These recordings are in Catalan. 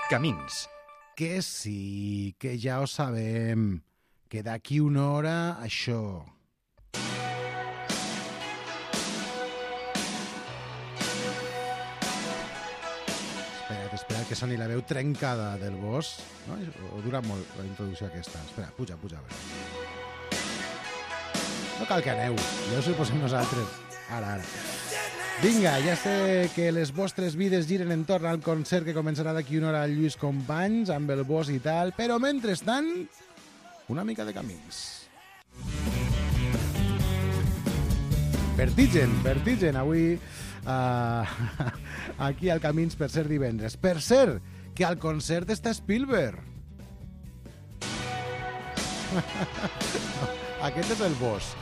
Camins. Que sí, que ja ho sabem, que d'aquí una hora això... Espera, que soni la veu trencada del Bosch, no? O dura molt la introducció aquesta. Espera, puja, a veure. No cal que aneu, ja us ho posem nosaltres. Ara. Vinga, ja sé que les vostres vides giren entorn al concert que començarà d'aquí una hora al Lluís Companys, amb el Bosch i tal, però mentrestant, una mica de camins. Vertigen, avui aquí al Camins per ser divendres. Per ser que al concert està Spielberg. Aquest és el Bosch.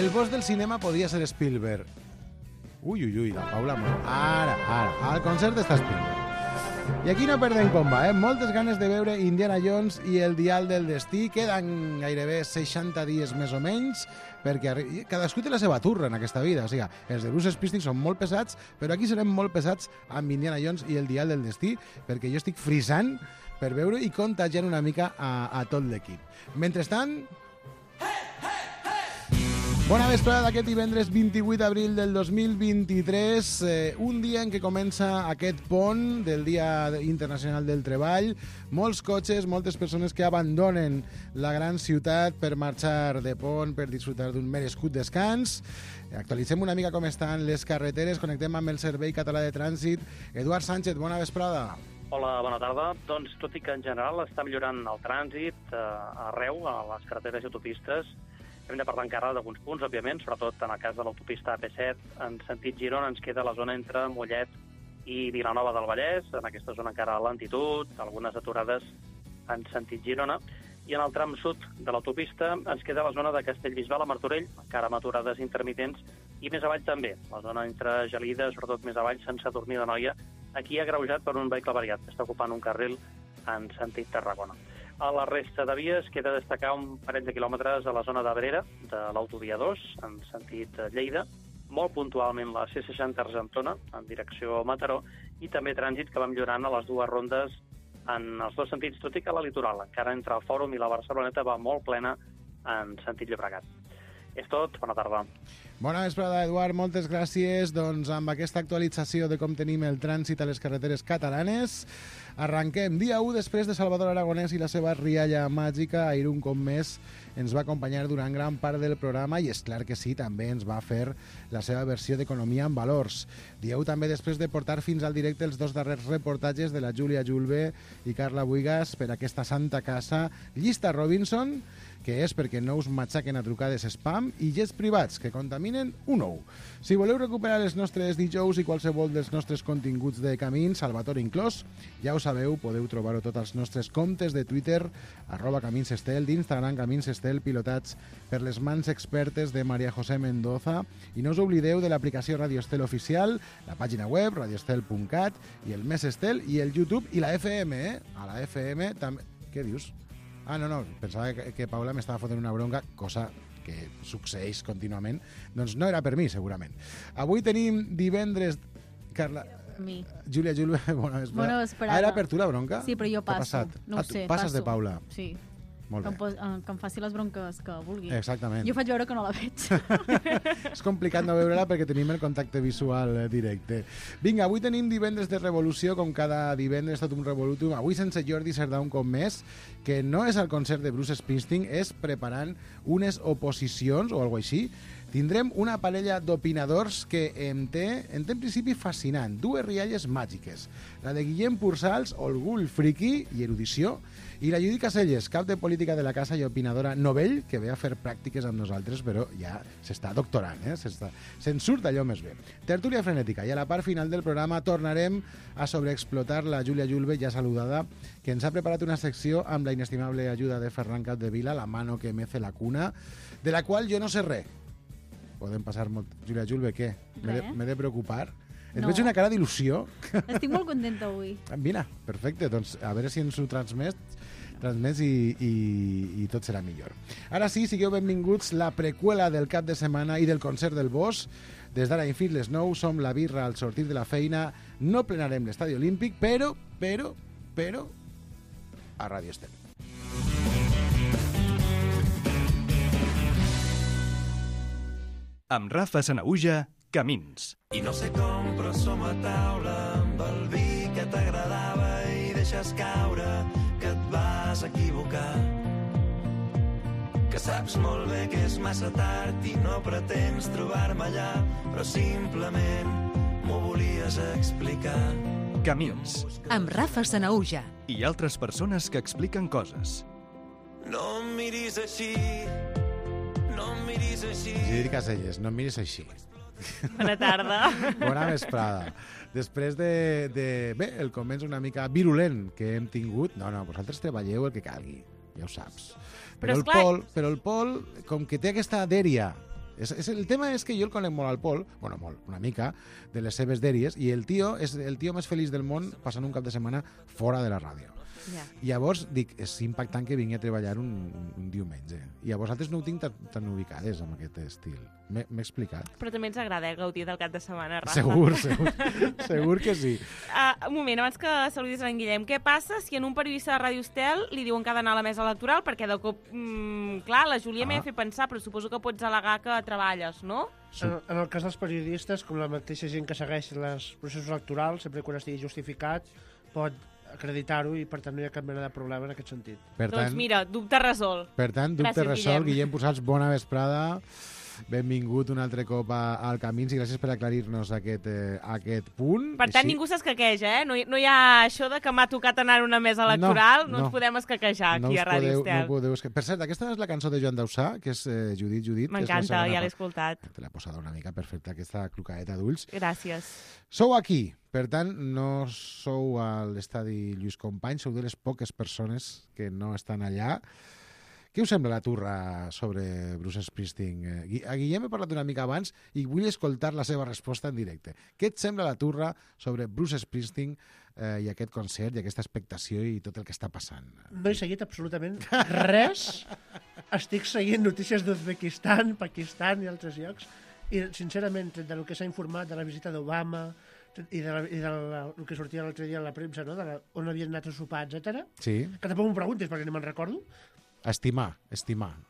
El Bosch del cinema podria ser Spielberg. Ui, la Paula... Ara, al concert està Spielberg. I aquí no perdem comba, moltes ganes de veure Indiana Jones i el Dial del Destí. Queden gairebé 60 dies més o menys, perquè cadascú té la seva turra en aquesta vida. O sigui, els de Bruce Springsteen són molt pesats, però aquí serem molt pesats amb Indiana Jones i el Dial del Destí, perquè jo estic frisant per veure i contagiant una mica a tot l'equip. Mentrestant... Bona vesprada d'aquest divendres 28 d'abril del 2023, un dia en què comença aquest pont del Dia Internacional del Treball. Molts cotxes, moltes persones que abandonen la gran ciutat per marxar de pont, per disfrutar d'un merescut descans. Actualitzem una mica com estan les carreteres, connectem amb el Servei Català de Trànsit. Eduard Sánchez, bona vesprada. Hola, bona tarda. Doncs tot i que en general està millorant el trànsit arreu, a les carreteres i autopistes, hem de parlar encara d'alguns punts, òbviament, sobretot en el cas de l'autopista AP7, en sentit Girona ens queda la zona entre Mollet i Vilanova del Vallès, en aquesta zona encara a lentitud, algunes aturades en sentit Girona, i en el tram sud de l'autopista ens queda la zona de Castellbisbal a Martorell, encara amb aturades intermitents, i més avall també, la zona entre Gelida, sobretot més avall, Sant Sadurní d'Anoia, aquí agreujat per un vehicle variat, que està ocupant un carril en sentit Tarragona. A la resta de vies queda destacar un parell de quilòmetres a la zona d'Abrera, de l'autovia 2, en sentit Lleida, molt puntualment la C60 Argentona, en direcció Mataró, i també trànsit que va millorant a les dues rondes en els dos sentits, tot i que la litoral, encara entre el Fòrum i la Barceloneta, va molt plena en sentit Llobregat. És tot, bona tarda. Bona vesprada, Eduard, moltes gràcies. Doncs amb aquesta actualització de com tenim el trànsit a les carreteres catalanes, arrenquem. Dia 1 després de Salvador Aragonès i la seva rialla màgica. Ahir un cop més ens va acompanyar durant gran part del programa i és clar que sí, també ens va fer la seva versió d'Economia en Valors. Dia 1 també després de portar fins al directe els dos darrers reportatges de la Júlia Julve i Carla Buigas per aquesta santa casa, Llista Robinson, que és perquè no us matxaquen a trucades spam, i jets privats que contaminen un ou. Si voleu recuperar els nostres dijous i qualsevol dels nostres continguts de Camins, Salvatore inclòs, ja ho sabeu, podeu trobar-ho tots als nostres comptes de Twitter, @CaminsEstel, d'Instagram CaminsEstel, pilotats per les mans expertes de María José Mendoza. I no us oblideu de l'aplicació Radio Estel Oficial, la pàgina web, radioestel.cat, i el Més Estel, i el YouTube, i la FM, A la FM també... Què dius? Ah, no, pensava que Paula m'estava fotent una bronca, cosa que succeeix contínuament. Doncs no era per mi, segurament. Avui tenim divendres... Carla... Mi. Júlia Julve, bona vesprada. Bona vesprada. Era per tu la bronca? Sí, però jo passo. No ho sé, passes passo. de Paula. Sí. Molt bé. Que em faci les bronques que vulgui. Exactament. Jo faig veure que no la veig. És complicat no veure-la perquè tenim el contacte visual directe. Vinga, avui tenim divendres de revolució, com cada divendres, tot un revolutum. Avui sense Jordi Cerdà un cop més, que no és al concert de Bruce Springsteen, és preparant unes oposicions o alguna així. Tindrem una parella d'opinadors que em té, en principi, fascinant. Dues rialles màgiques. La de Guillem Pursals, orgull friki i erudició, i la Judit Caselles, cap de política de la casa i opinadora novell, que ve a fer pràctiques amb nosaltres, però ja s'està doctorant, se'n surt allò més bé. Tertúlia frenètica, i a la part final del programa tornarem a sobreexplotar la Júlia Julve, ja saludada, que ens ha preparat una secció amb la inestimable ajuda de Ferran Capdevila, la mano que mece la cuna, de la qual jo no sé res. Podem passar molt... Júlia Julve, què? M'he de preocupar? Et veig una cara d'il·lusió. Estic molt contenta avui. Mira, perfecte. Doncs a veure si ens ho transmets i tot serà millor. Ara sí, sigueu benvinguts, la preqüela del cap de setmana i del concert del Bosch. Des d'ara fins les 9 som la birra al sortir de la feina. No plenarem l'estadi olímpic, però però a Ràdio Estel. Amb Rafa Sanaüja, Camins. I no sé com, però som a taula amb el vi que t'agradava i deixes caure que et vas equivocar. Que saps molt bé que és massa tard i no pretens trobar-me allà, però simplement m'ho volies explicar. Camins. Amb Rafa Sanaüja. I altres persones que expliquen coses. No em miris així, no em miris així. Isidre Caselles, no em miris així. Bona tarda. Bona vesprada. Després de... Bé, el començ una mica virulent que hem tingut... No, vosaltres treballeu el que calgui, ja ho saps. Però el Pol, com que té aquesta dèria... El tema és que jo el conec molt al Pol, bueno, molt, una mica, de les seves dèries, i el tio és el tio més feliç del món passant un cap de setmana fora de la ràdio. Ja. Llavors, dic, és impactant que vingui a treballar un diumenge. I a vosaltres no ho tinc tan ubicades amb aquest estil. M'he explicat? Però també ens agrada gaudir del cap de setmana, Rafa. Segur que sí. Un moment, abans que saludis en Guillem, què passa si en un periodista de Ràdio Estel li diuen que ha d'anar a la mesa electoral? Perquè de cop, clar, la Júlia m'ha fet pensar, però suposo que pots al·legar que treballes, no? En el cas dels periodistes, com la mateixa gent que segueix els processos electorals, sempre que estigui justificat, pot acreditar-ho i per tant no hi ha cap mena de problema en aquest sentit. Doncs mira, dubte resolt. Per tant, dubte resolt. Guillem Posats, bona vesprada. Benvingut un altre cop al Camins i gràcies per aclarir-nos aquest punt. Per tant, ningú s'escaqueja, eh? No hi ha això de que m'ha tocat anar a una mesa electoral, no ens podem escaquejar aquí a Ràdio Estel. Per cert, aquesta és la cançó de Joan Dausà, que és Judit. M'encanta, ja l'he escoltat. Te l'he posada una mica perfecta, aquesta clucaeta d'ulls. Gràcies. Sou aquí, per tant, no sou a l'estadi Lluís Companys, sou de les poques persones que no estan allà. Què us sembla la turra sobre Bruce Springsteen? A Guillem he parlat una mica abans i vull escoltar la seva resposta en directe. Què et sembla la turra sobre Bruce Springsteen i aquest concert i aquesta expectació i tot el que està passant? No he seguit absolutament res. Estic seguint notícies d'Uzbekistan, Pakistan i altres llocs i, sincerament, del que s'ha informat de la visita d'Obama i del que sortia l'altre dia a la premsa, no? On havien anat a sopar, etc. Sí. Que tampoc m'ho preguntis perquè no me'n recordo. Estimar.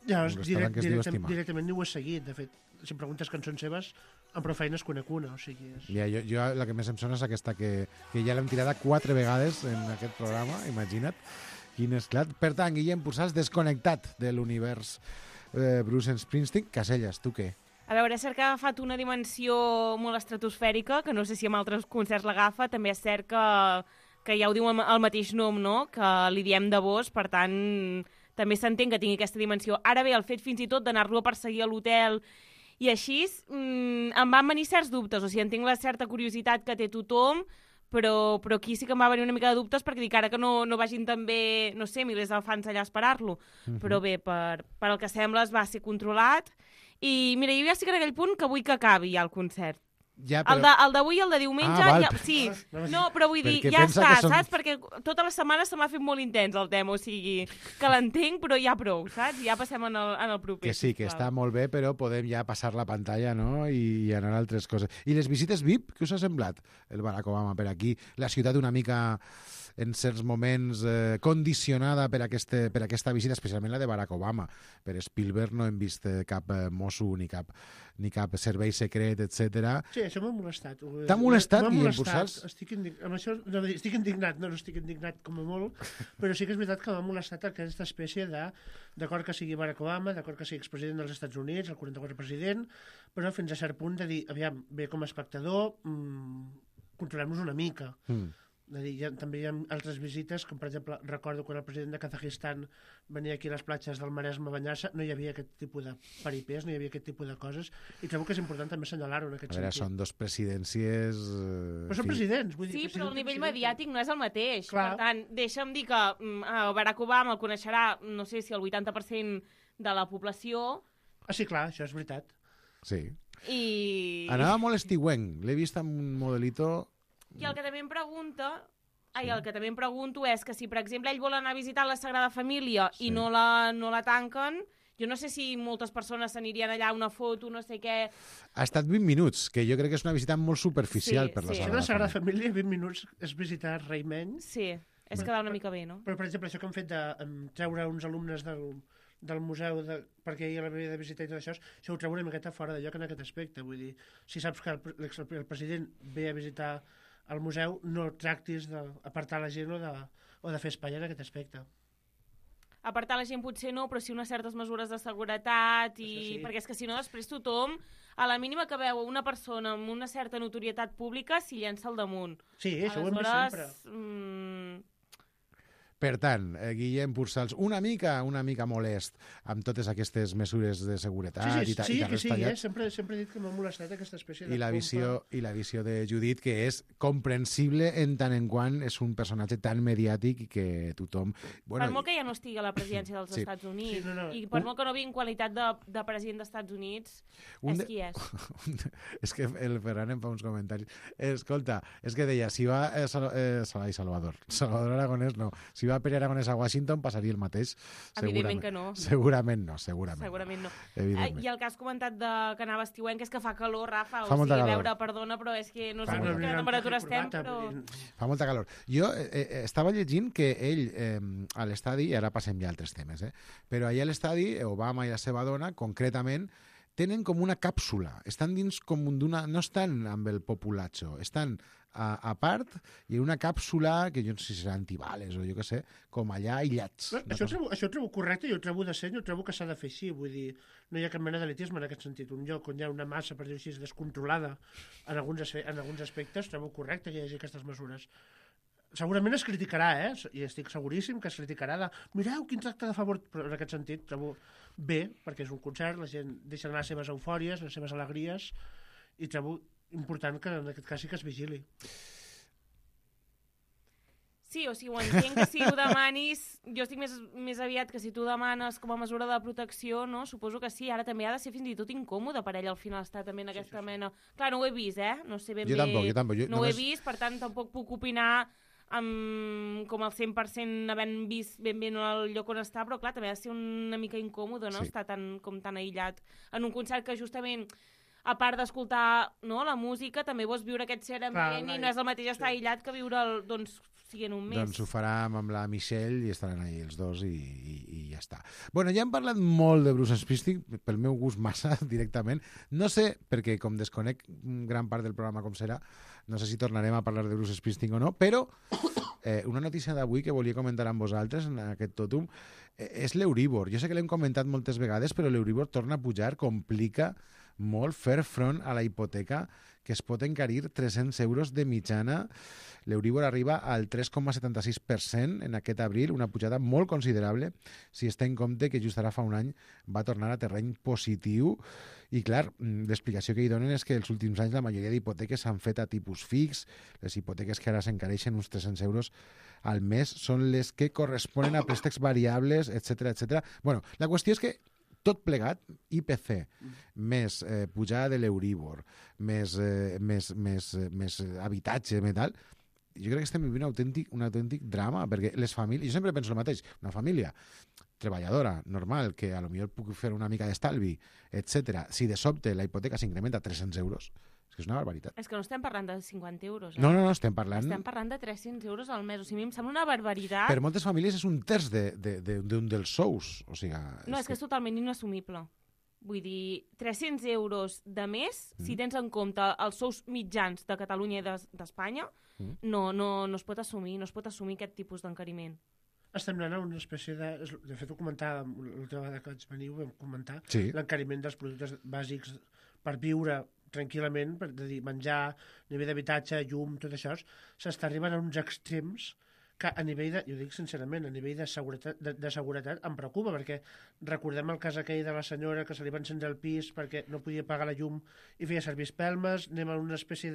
Llavors, directament ni ho he seguit. De fet, si em preguntes cançons seves, amb prou feines conec una. O sigui, jo la que més em sona és aquesta que ja l'hem tirada 4 vegades en aquest programa, imagina't. Quin esclat. Per tant, Guillem Posats, desconnectat de l'univers Bruce Springsteen. Caselles, tu què? A veure, és cert que ha agafat una dimensió molt estratosfèrica, que no sé si amb altres concerts l'agafa. També és cert que ja ho diu el mateix nom, no? Que li diem de vos, per tant... també s'entén que tingui aquesta dimensió. Ara bé, el fet fins i tot d'anar-lo a perseguir a l'hotel i així, em van venir certs dubtes. O sigui, entenc la certa curiositat que té tothom, però aquí sí que em va venir una mica de dubtes perquè dic ara que no vagin també, no sé, milers de fans allà a esperar-lo. Però bé, per el que sembla es va ser controlat. I mira, jo ja estic en aquell punt que vull que acabi ja el concert. Ja, però... El d'avui i el de diumenge, sí. No, però vull dir, ja està, saps? Perquè tota la setmana se m'ha fet molt intens el tema, o sigui, que l'entenc, però ja prou, saps? Ja passem en el proper. Que sí, que està molt bé, però podem ja passar la pantalla, no?, i anar a altres coses. I les visites VIP, què us ha semblat? El Barack Obama per aquí, la ciutat una mica... en certs moments condicionada per aquesta visita, especialment la de Barack Obama. Per Spielberg no hem vist cap mosso ni cap servei secret, etc. Sí, això m'ha molestat. T'ha molestat, Guillem Posats? Estic indignat, no estic indignat com a molt, però sí que és veritat que m'ha molestat aquesta espècie d'acord que sigui Barack Obama, d'acord que sigui expresident dels Estats Units, el 44 president, però fins a cert punt de dir, aviam, bé com a espectador, controlem-nos una mica. També hi ha altres visites, com per exemple recordo quan el president de Kazajistan venia aquí a les platges del Maresme a banyar-se, no hi havia aquest tipus de paripés, no hi havia aquest tipus de coses, i trobo que és important també assenyalar-ho en aquest sentit. Són dos presidències... Però són presidents. Vull dir, sí, però el nivell mediàtic no és el mateix. Clar. Per tant, deixa'm dir que Barack Obama el coneixerà, no sé si el 80% de la població... Sí, clar, això és veritat. Sí. I... Anava molt estiuenc, l'he vist amb un modelito... I el que també em pregunto és que si, per exemple, ell vol anar a visitar la Sagrada Família i no la tanquen, jo no sé si moltes persones s'anirien allà a una foto, no sé què... Ha estat 20 minuts, que jo crec que és una visita molt superficial per la Sagrada Família. La Sagrada Família, 20 minuts és visitar Rei Menys. Sí. és quedar una mica bé, no? Però, per exemple, això que han fet de treure uns alumnes del museu perquè ella l'havia de visitar i tot això ho trobo una miqueta fora de lloc en aquest aspecte. Vull dir, si saps que el president ve a visitar el museu, no tractis d'apartar la gent o de fer espai en aquest aspecte. Apartar la gent potser no, però sí unes certes mesures de seguretat, Sí. perquè és que si no després tothom, a la mínima que veu una persona amb una certa notorietat pública, s'hi llença al damunt. Sí, això ho hem vist sempre. Per tant, Guillem Pursalls, una mica molest amb totes aquestes mesures de seguretat Sí, i que sí, sempre he dit que m'ha molestat aquesta espècie de i la visió de Judit, que és comprensible en tant en quant és un personatge tan mediàtic i que tothom... Per molt que ja no estigui a la presidència dels Estats Units, i per molt que no vingui en qualitat de president dels Estats Units, és qui és. És que el Ferran em fa uns comentaris. Escolta, és que deia, si va Salvador Aragonès no, si va Pere Aragonès a Washington passaria el mateix. Evidentment que no. Segurament no. Segurament no. Evidentment. I el que has comentat que anava estiuenc és que fa calor, Rafa, fa molta calor. veure, perdona, però és que no sé a quina temperatura estem, però... Fa molta calor. Jo estava llegint que ell a l'estadi, i ara passem ja a altres temes, però allà a l'estadi, Obama i la seva dona, concretament, tenen com una càpsula. Estan dins com d'una... No estan amb el populatxo, estan a part i en una càpsula que jo no sé si serà antibales o jo què sé, com allà aïllats. Això ho trobo correcte, jo ho trobo decent, jo trobo que s'ha de fer així, vull dir, no hi ha cap mena d'elitisme en aquest sentit. Un lloc on hi ha una massa, per dir-ho així, descontrolada en alguns aspectes, trobo correcte que hi hagi aquestes mesures. Segurament es criticarà, i estic seguríssim que es criticarà de mireu quin tracte de favor, però en aquest sentit trobo bé, perquè és un concert, la gent deixa anar les seves eufòries, les seves alegries, i trobo important que en aquest cas sí que es vigili. Sí, o sigui, ho entenc que si ho demanis, jo estic més aviat que si tu demanes com a mesura de protecció, no? Suposo que sí, ara també ha de ser fins i tot incòmode per ell al final estar també en aquesta mena... Clar, no ho he vist, no sé ben bé... Jo tampoc. No ho he vist, per tant tampoc puc opinar com el 100% havent vist ben bé el lloc on està, però clar, també ha de ser una mica incòmode, no? Estar tan aïllat en un concert que justament... a part d'escoltar la música, també vols viure aquest cert ambient i no és el mateix estar aïllat que viure siguent un mes. Doncs ho farà amb la Michelle i estaran ahí els dos i ja està. Bueno, ja hem parlat molt de Bruce Springsteen, pel meu gust massa directament. No sé, perquè com desconec gran part del programa com serà, no sé si tornarem a parlar de Bruce Springsteen o no, però una notícia d'avui que volia comentar amb vosaltres en aquest tòtum és l'Euribor. Jo sé que l'hem comentat moltes vegades, però l'Euribor torna a pujar, complica molt fer front a la hipoteca que es pot encarir 300 euros de mitjana. L'Euribor arriba al 3,76% en aquest abril, una pujada molt considerable si es té en compte que just ara fa un any va tornar a terreny positiu. I clar, l'explicació que hi donen és que els últims anys la majoria d'hipoteques s'han fet a tipus fix. Les hipoteques que ara s'encareixen uns 300 euros al mes són les que corresponen a préstecs variables, etc. Bueno, la qüestió és que tot plegat, IPC, més pujada de l'Euribor, més habitatge, més tal, jo crec que estem vivint un autèntic drama, perquè les famílies... Jo sempre penso el mateix, una família treballadora, normal, que a lo millor puc fer una mica d'estalvi, etc. Si de sobte la hipoteca s'incrementa a 300 euros, és una barbaritat. És que no estem parlant de 50 euros. No, estem parlant... Estem parlant de 300 euros al mes. O sigui, a mi em sembla una barbaritat. Per moltes famílies és un terç d'un dels sous. O sigui, no, és que és totalment inassumible. Vull dir, 300 euros de mes, si tens en compte els sous mitjans de Catalunya i d'Espanya, no es pot assumir, aquest tipus d'encariment. Estem anant a una espècie de... De fet, ho comentava l'última vegada que vaig venir, ho vam comentar, l'encariment dels productes bàsics per viure tranquil·lament, per dir, menjar, nivell d'habitatge, llum, tot això, s'està arribant a uns extrems que a nivell de, jo dic sincerament, a nivell de seguretat em preocupa, perquè recordem el cas aquell de la senyora que se li va encendre el pis perquè no podia pagar la llum i feia servir espelmes, anem a una espècie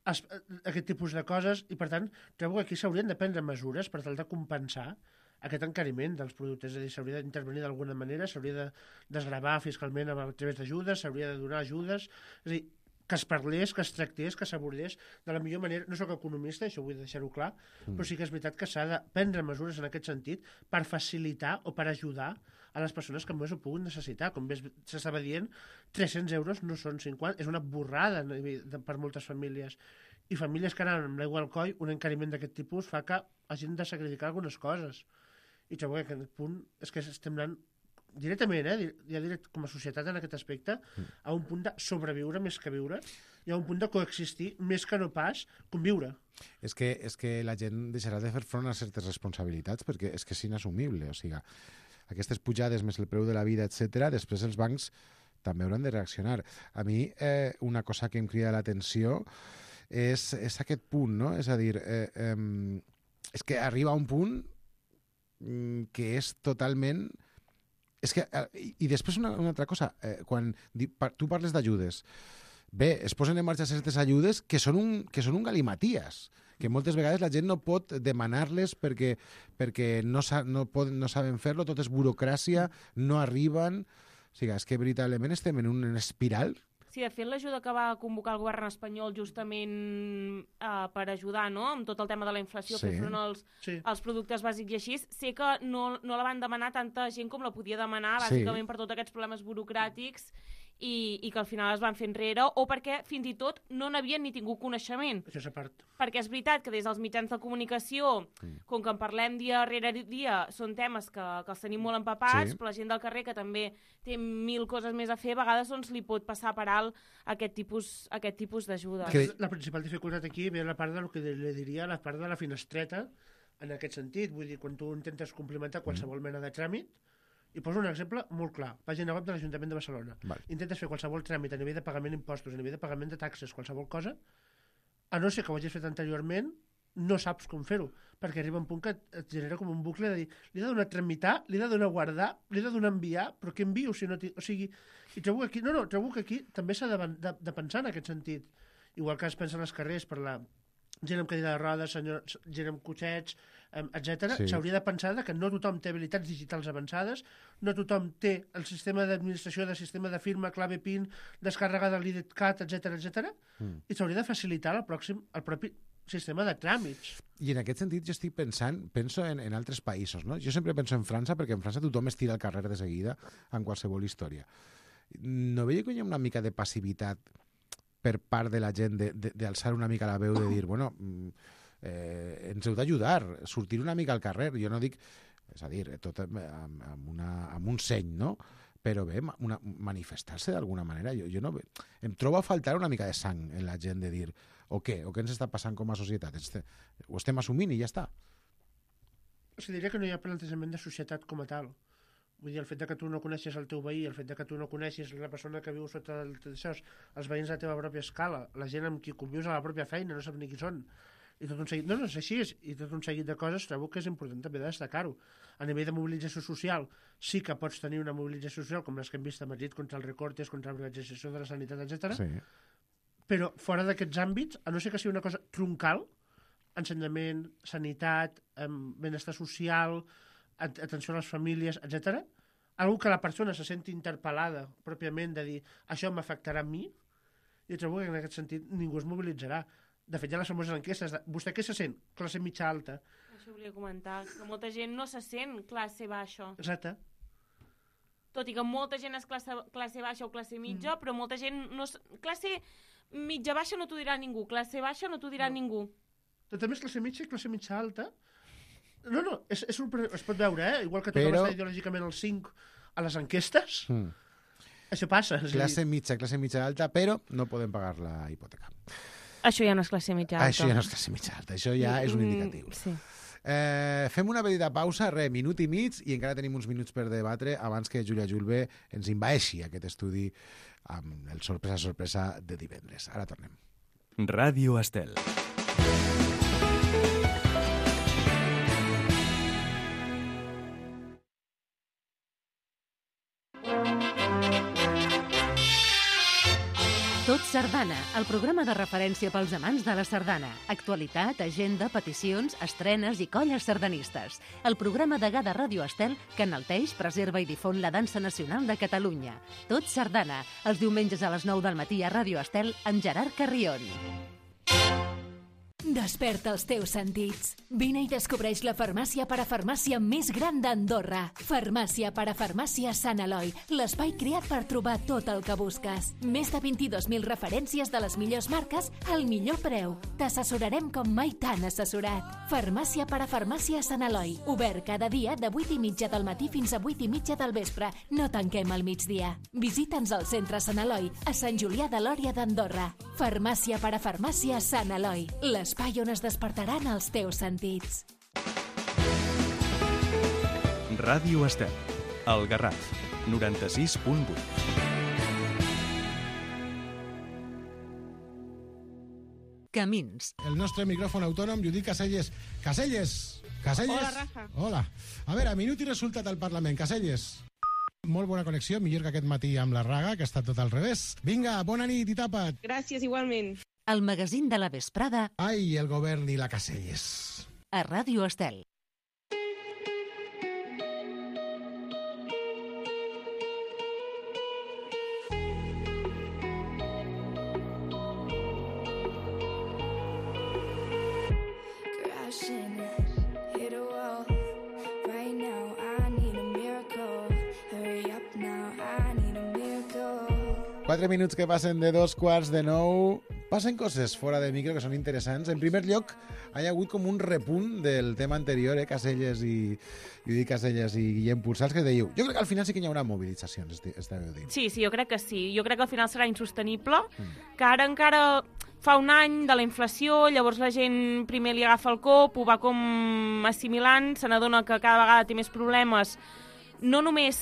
aquest tipus de coses, i per tant trobo que aquí s'haurien de prendre mesures per tal de compensar aquest encariment dels productes, és a dir, s'hauria d'intervenir d'alguna manera, s'hauria de desgravar fiscalment a través d'ajudes, s'hauria de donar ajudes, és a dir, que es parlés, que es tractés, que s'abordés de la millor manera. No soc economista, això vull deixar-ho clar, però sí que és veritat que s'ha de prendre mesures en aquest sentit per facilitar o per ajudar a les persones que més ho puguin necessitar. Com bé s'estava dient, 300 euros no són 50, és una borrada per moltes famílies. i famílies que anaven amb l'aigua al coll, un encariment d'aquest tipus fa que hagin de sacrificar algunes coses. I trobo que aquest punt és que estem anant directament, ja diré, com a societat en aquest aspecte, a un punt de sobreviure més que viure, i a un punt de coexistir més que no pas conviure. És que la gent deixarà de fer front a certes responsabilitats perquè és que és inassumible. O sigui, aquestes pujades més el preu de la vida, etc. després els bancs també hauran de reaccionar. A mi una cosa que em crida l'atenció és aquest punt, no? És a dir, és que arriba a un punt que és totalment... És que, i després una altra cosa, quan tu parles d'ajudes, bé, es posen en marxa certes ajudes que són un galimaties, que moltes vegades la gent no pot demanar-les perquè no saben fer-lo, tot és burocràcia, no arriben... O sigui, és que veritablement estem en una espiral. Sí, de fet, l'ajuda que va convocar el govern espanyol justament per ajudar, no?, amb tot el tema de la inflació, fer front als productes bàsics i així, sé que no la van demanar tanta gent com la podia demanar, bàsicament per tots aquests problemes burocràtics i que al final es van fer enrere, o perquè fins i tot no n'havien ni tingut coneixement. Això és a part. Perquè és veritat que des dels mitjans de comunicació, com que en parlem dia rere dia, són temes que els tenim molt empapats, però la gent del carrer, que també té 1000 coses més a fer, a vegades doncs, li pot passar per alt aquest tipus d'ajuda. La principal dificultat aquí ve la part del que li diria la part de la finestreta, en aquest sentit. Vull dir, quan tu intentes complimentar qualsevol mena de tràmit, i poso un exemple molt clar. Pàgina web de l'Ajuntament de Barcelona. Intentes fer qualsevol tràmit a nivell de pagament d'impostos, a nivell de pagament de taxes, qualsevol cosa, a no ser que ho hagis fet anteriorment, no saps com fer-ho, perquè arriba un punt que et genera com un bucle de dir, li he de donar a tramitar, li he de donar a guardar, li he de donar a enviar, però què envio si no... O sigui, i trobo que aquí també s'ha de pensar en aquest sentit. Igual que es pensa en els carrers per la gent amb cadira de rodes, gent amb cotxets, etc. S'hauria de pensar que no tothom té habilitats digitals avançades, no tothom té el sistema d'administració, el sistema de firma, clave PIN, descàrrega de l'IDCAT, etc. I s'hauria de facilitar el propi sistema de tràmits. I en aquest sentit jo penso en altres països, no? Jo sempre penso en França, perquè en França tothom es tira al carrer de seguida en qualsevol història. No veieu que hi ha una mica de passivitat per part de la gent d'alçar una mica la veu, de dir, bueno, ens heu d'ajudar, sortir una mica al carrer. Jo no dic, és a dir, tot amb un seny, no? Però bé, manifestar-se d'alguna manera. Jo no, em trobo a faltar una mica de sang en la gent de dir, o què ens està passant com a societat? Ho estem assumint i ja està. O sigui, diria que no hi ha plantejament de societat com a tal. Vull dir, el fet que tu no coneixes el teu veí, el fet que tu no coneixes la persona que viu sota això, els veïns de la teva pròpia escala, la gent amb qui convius a la pròpia feina, no sap ni qui són. I tot un seguit, no és així, i tot un seguit de coses trobo que és important també de destacar-ho. A nivell de mobilització social, sí que pots tenir una mobilització social com les que hem vist a Madrid contra els recortes, contra la privatització de la sanitat, etc. Sí. Però fora d'aquests àmbits, a no ser que sigui una cosa troncal, ensenyament, sanitat, benestar social, atenció a les famílies, etc. Algo que la persona se senti interpel·lada pròpiament de dir això m'afectarà a mi, i trobo que en aquest sentit ningú es mobilitzarà. De fet, hi ha les famoses enquestes de vostè què se sent? Classe mitja alta. Això volia comentar, que molta gent no se sent classe baixa. Exacte. Tot i que molta gent és classe baixa o classe mitja, però molta gent no... Classe mitja baixa no t'ho dirà ningú, classe baixa no t'ho dirà ningú. Tot a més, classe mitja i classe mitja alta... No, es pot veure, igual que tothom està ideològicament al 5 a les enquestes, això passa. Classe mitja alta, però no podem pagar la hipoteca. Això ja no és classe mitja alta. Això ja no és classe mitja alta, això ja és un indicatiu. Sí. Fem una petita pausa, minut i mig, i encara tenim uns minuts per debatre abans que Júlia Julve ens envaeixi aquest estudi amb el sorpresa de divendres. Ara tornem. Ràdio Estel. Tot Sardana, el programa de referència pels amants de la sardana. Actualitat, agenda, peticions, estrenes i colles sardanistes. El programa degà de Ràdio Estel que enalteix, preserva i difon la dansa nacional de Catalunya. Tot Sardana, els diumenges a les 9 del matí a Ràdio Estel amb Gerard Carrion. Desperta els teus sentits. Vine i descobreix la farmàcia parafarmàcia més gran d'Andorra. Farmàcia parafarmàcia Sant Eloi, l'espai creat per trobar tot el que busques. Més de 22.000 referències de les millors marques al millor preu. T'assessorarem com mai t'han assessorat. Farmàcia parafarmàcia Sant Eloi, obert cada dia de 8:30 del matí fins a 8:30 del vespre. No tanquem al migdia. Visita'ns al centre Sant Eloi, a Sant Julià de Lòria d'Andorra. Farmàcia parafarmàcia Sant Eloi, l'espai on es despertaran els teus sentits. Ràdio Estel, El Garraf, 96.8. Camins. El nostre micròfon autònom, Judit Caselles. Caselles! Caselles! Hola, Rafa. Hola. A veure, minut i resultat al Parlament. Caselles. Molt bona connexió, millor que aquest matí amb la Raga, que ha estat tot al revés. Vinga, bona nit i tapa't. Gràcies, igualment. El magazín de la vesprada Ai, el govern i la Caselles. a Ràdio Estel. Crashing, hit a wall. Right now, I need a miracle. Hurry up now, I need a miracle. 4 minuts que passen de 2:15. Passen coses fora de micro que són interessants. En primer lloc, hi ha hagut com un repunt del tema anterior, Caselles i Judit Caselles i Guillem Pulsals, que dèieu, jo crec que al final sí que hi haurà mobilitzacions, estàveu dient. Sí, jo crec que sí. Jo crec que al final serà insostenible, que ara encara fa un any de la inflació, llavors la gent primer li agafa el cop, ho va com assimilant, se n'adona que cada vegada té més problemes, no només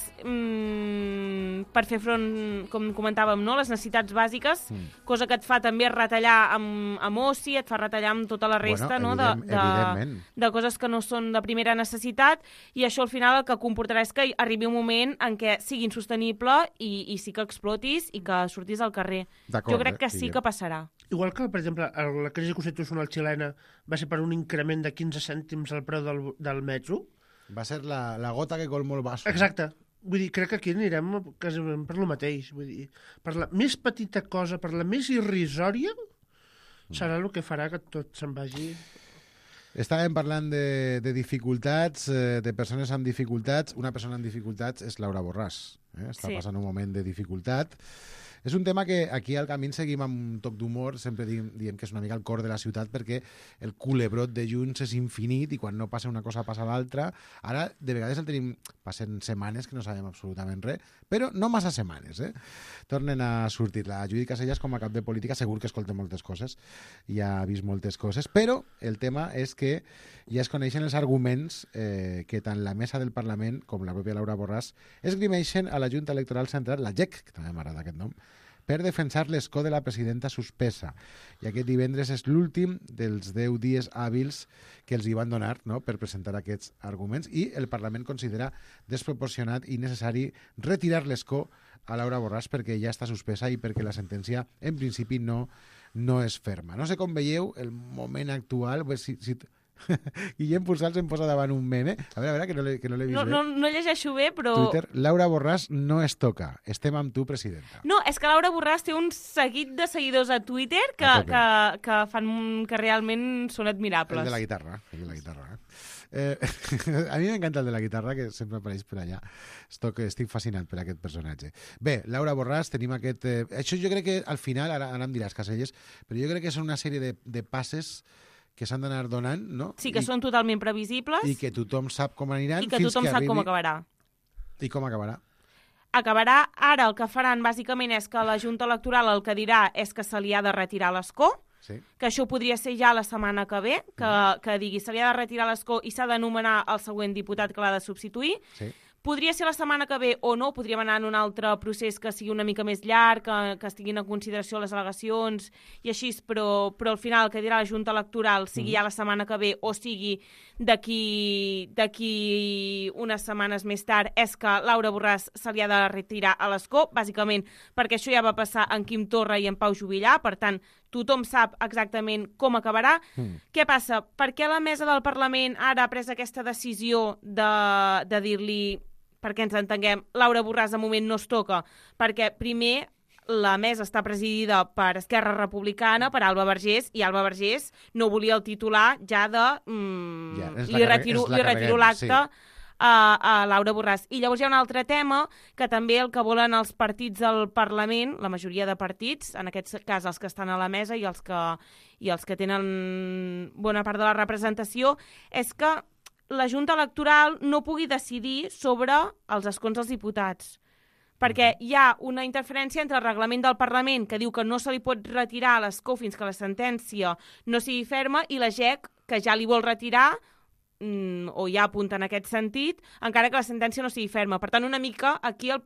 per fer front, com comentàvem, no? Les necessitats bàsiques, cosa que et fa també retallar amb oci, et fa retallar amb tota la resta, Bueno, no? evidentment. De coses que no són de primera necessitat, i això al final el que comportarà és que arribi un moment en què sigui insostenible i sí que explotis i que surtis al carrer. D'acord, Jo crec que sí Guillem. que passarà. Igual que, per exemple, la crisi constitucional xilena va ser per un increment de 15 cèntims al preu del metro. Va ser la gota que colmó el vaso. Exacte. Vull dir, crec que aquí anirem quasi per lo mateix. Vull dir, per la més petita cosa, per la més irrisòria, serà el que farà que tot se'n vagi. Estàvem parlant de dificultats, de persones amb dificultats. Una persona amb dificultats és Laura Borràs. Està passant un moment de dificultat. És un tema que aquí al Camí seguim amb un toc d'humor, sempre diem que és una mica el cor de la ciutat perquè el culebrot de Junts és infinit i quan no passa una cosa passa l'altra. Ara, de vegades el tenim, passen setmanes que no sabem absolutament res, però no massa setmanes, Tornen a sortir. La Judit Caselles, com a cap de política, segur que escolta moltes coses, i ha vist moltes coses, però el tema és que ja es coneixen els arguments que tant la mesa del Parlament com la pròpia Laura Borràs esgrimeixen a la Junta Electoral Central, la JEC, que també m'agrada aquest nom, per defensar l'escó de la presidenta suspesa. I aquest divendres és l'últim dels 10 dies hàbils que els hi van donar, no?, per presentar aquests arguments, i el Parlament considera desproporcionat i necessari retirar l'escó a Laura Borràs perquè ja està suspesa i perquè la sentència, en principi, no és ferma. No sé com veieu el moment actual, si Guillem Pulsals em posa davant un meme. A veure, que no l'he vist bé. No llegeixo bé, però... Twitter, Laura Borràs no es toca. Estem amb tu, presidenta. No, és que Laura Borràs té un seguit de seguidors a Twitter que fan que realment són admirables. El de la guitarra. A mi m'encanta el de la guitarra, que sempre apareix per allà. Estic fascinat per aquest personatge. Bé, Laura Borràs, tenim aquest... Això jo crec que al final, ara em diràs, Caselles, però jo crec que són una sèrie de passes que s'han d'anar donant, no? Sí, que són totalment previsibles. I que tothom sap com aniran. I que tothom sap com acabarà. I com acabarà? Acabarà, ara el que faran bàsicament és que la Junta Electoral el que dirà és que se li ha de retirar l'escó, que això podria ser ja la setmana que ve, que digui se li ha de retirar l'escó i s'ha de nomenar el següent diputat que l'ha de substituir. Sí. Podria ser la setmana que ve o no, podríem anar en un altre procés que sigui una mica més llarg, que estiguin en consideració les al·legacions i així, però al final el que dirà la Junta Electoral, sigui ja la setmana que ve o sigui d'aquí unes setmanes més tard, és que Laura Borràs se li ha de retirar a l'escó, bàsicament perquè això ja va passar en Quim Torra i en Pau Juvillà, per tant, tothom sap exactament com acabarà. Què passa? Per què la mesa del Parlament ara ha pres aquesta decisió de dir-li, perquè ens entenguem, Laura Borràs de moment no es toca? Perquè primer la mesa està presidida per Esquerra Republicana, per Alba Vergés, i Alba Vergés no volia el titular ja de... li retiro l'acte a Laura Borràs. I llavors hi ha un altre tema que també el que volen els partits del Parlament, la majoria de partits, en aquest cas els que estan a la mesa i els que tenen bona part de la representació, és que la Junta Electoral no pugui decidir sobre els escons dels diputats. Perquè hi ha una interferència entre el reglament del Parlament que diu que no se li pot retirar l'escó fins que la sentència no sigui ferma i la GEC, que ja li vol retirar, o ja apunta en aquest sentit, encara que la sentència no sigui ferma. Per tant, una mica aquí el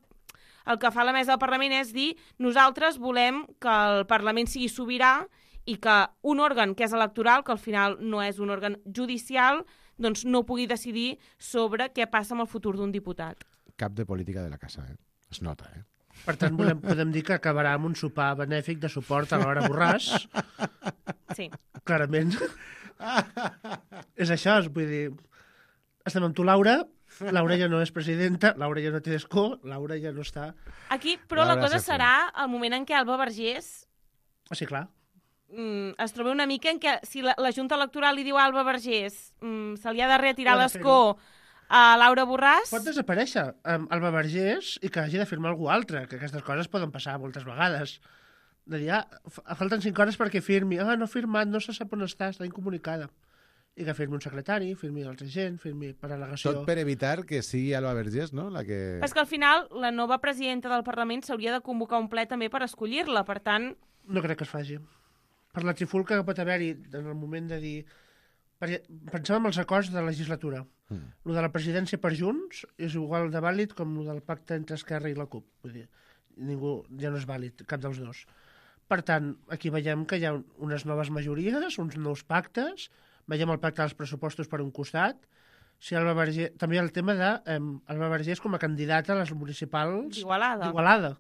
que fa la mesa del Parlament és dir nosaltres volem que el Parlament sigui sobirà i que un òrgan que és electoral, que al final no és un òrgan judicial, doncs no pugui decidir sobre què passa amb el futur d'un diputat. Cap de política de la casa, es nota, Per tant, podem dir que acabarà amb un sopar benèfic de suport a Laura Borràs. Sí. Clarament. És això, vull dir... Estem amb tu, Laura. Laura ja no és presidenta, Laura ja no té escó, Laura ja no està... Aquí, però la cosa serà el moment en què Alba Vergés... Sí, clar. Es troba una mica en què si la Junta Electoral li diu a Alba Vergés se li ha de retirar l'escó a Laura Borràs... Pot desaparèixer Alba Vergés i que hagi de firmar algú altre, que aquestes coses poden passar moltes vegades. De dir, falten 5 hores perquè firmi. No ha firmat, no se sap on està incomunicada. I que firmi un secretari, firmi altra gent, firmi per al·legació... Tot per evitar que sigui Alba Vergés, no? La que... És que al final la nova presidenta del Parlament s'hauria de convocar un ple també per escollir-la, per tant... No crec que es faci. Per la trifulca que pot haver-hi en el moment de dir... Pensem en els acords de legislatura. Lo de la presidència per Junts és igual de vàlid com lo del pacte entre Esquerra i la CUP. Vull dir, ningú ja no és vàlid, cap dels dos. Per tant, aquí veiem que hi ha unes noves majories, uns nous pactes, veiem el pacte dels pressupostos per un costat, si Alba Vergés... També hi ha el tema d'Alba Vergés com a candidata a les municipals d'Igualada.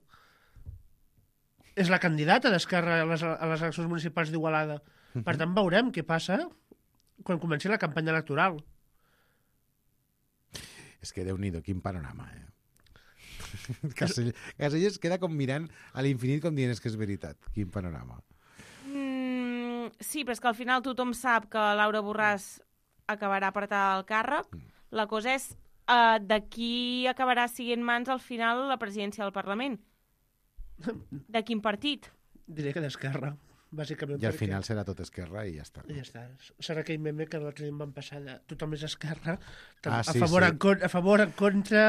És la candidata d'Esquerra a les eleccions municipals d'Igualada. Per tant, veurem què passa quan comenci la campanya electoral. És que Déu-n'hi-do, quin panorama, Caselles queda com mirant a l'infinit com dient que és veritat. Quin panorama. Sí, però és que al final tothom sap que Laura Borràs acabarà apretar el càrrec. La cosa és de qui acabarà siguent mans al final la presidència del Parlament. De quin partit? Diré que d'Esquerra, bàsicament. I al final serà tot Esquerra i ja està. I ja està. Serà aquell meme que l'altre dia em van passar de tothom és Esquerra, a favor, en contra,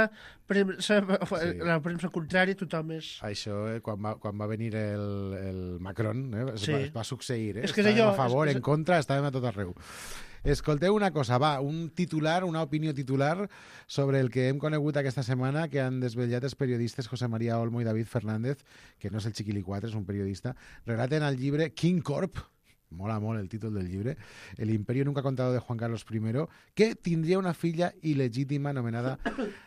la premsa contrari, tothom és... Això, quan va venir el Macron, es va succeir. És que allò, a favor, en contra, estàvem a tot arreu. Escolteu una cosa, un titular, una opinió titular sobre el que hem conegut aquesta setmana que han desvetllat els periodistes José María Olmo i David Fernández, que no és el Chiquilicuatre, és un periodista, relaten al llibre King Corp, mola molt el títol del llibre, El imperio nunca contado de Juan Carlos I, que tindria una filla il·legítima anomenada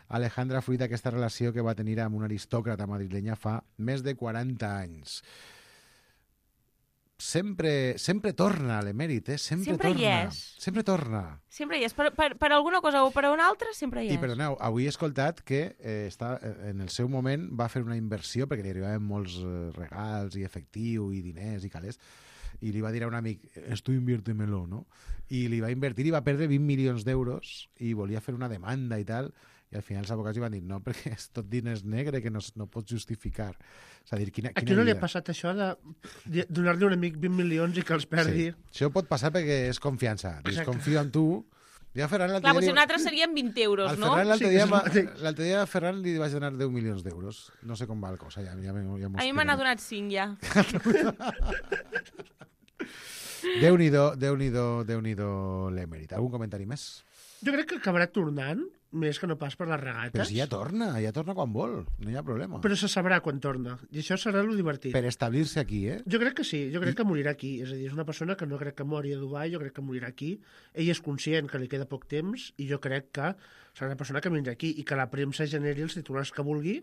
Alejandra fruit d'aquesta relació que va tenir amb una aristòcrata madrilenya fa més de 40 anys. Sempre torna l'emèrit, Sempre torna. Sempre hi és. Per alguna cosa o per una altra, sempre hi és. I perdoneu, avui he escoltat que en el seu moment va fer una inversió, perquè li arribaven molts regals i efectiu i diners i calés, i li va dir a un amic, esto inviértemelo, no? I li va invertir i va perdre 20 milions d'euros i volia fer una demanda i tal, i al final els advocats li van dir no, perquè és tot diners negre que no pots justificar. És a dir, quina a qui no li ha passat això de donar-li a un amic 20 milions i que els perdi? Sí. Això pot passar perquè és confiança. Confio en tu. Ja Ferran clar, potser un altre serien 20 euros, no? L'altre dia a Ferran li vaig donar 10 milions d'euros. No sé com va la cosa. Ja a mi me n'ha donat 5, ja. Déu-n'hi-do l'emèrit. Algun comentari més? Jo crec que acabarà tornant, més que no pas per les regates. Però si ja torna quan vol, no hi ha problema. Però se sabrà quan torna, i això serà lo divertit. Per establir-se aquí, Jo crec que sí, jo crec que morirà aquí. És a dir, és una persona que no crec que mori a Dubai, jo crec que morirà aquí. Ell és conscient que li queda poc temps, i jo crec que serà una persona que vindrà aquí, i que la premsa generi els titulars que vulgui,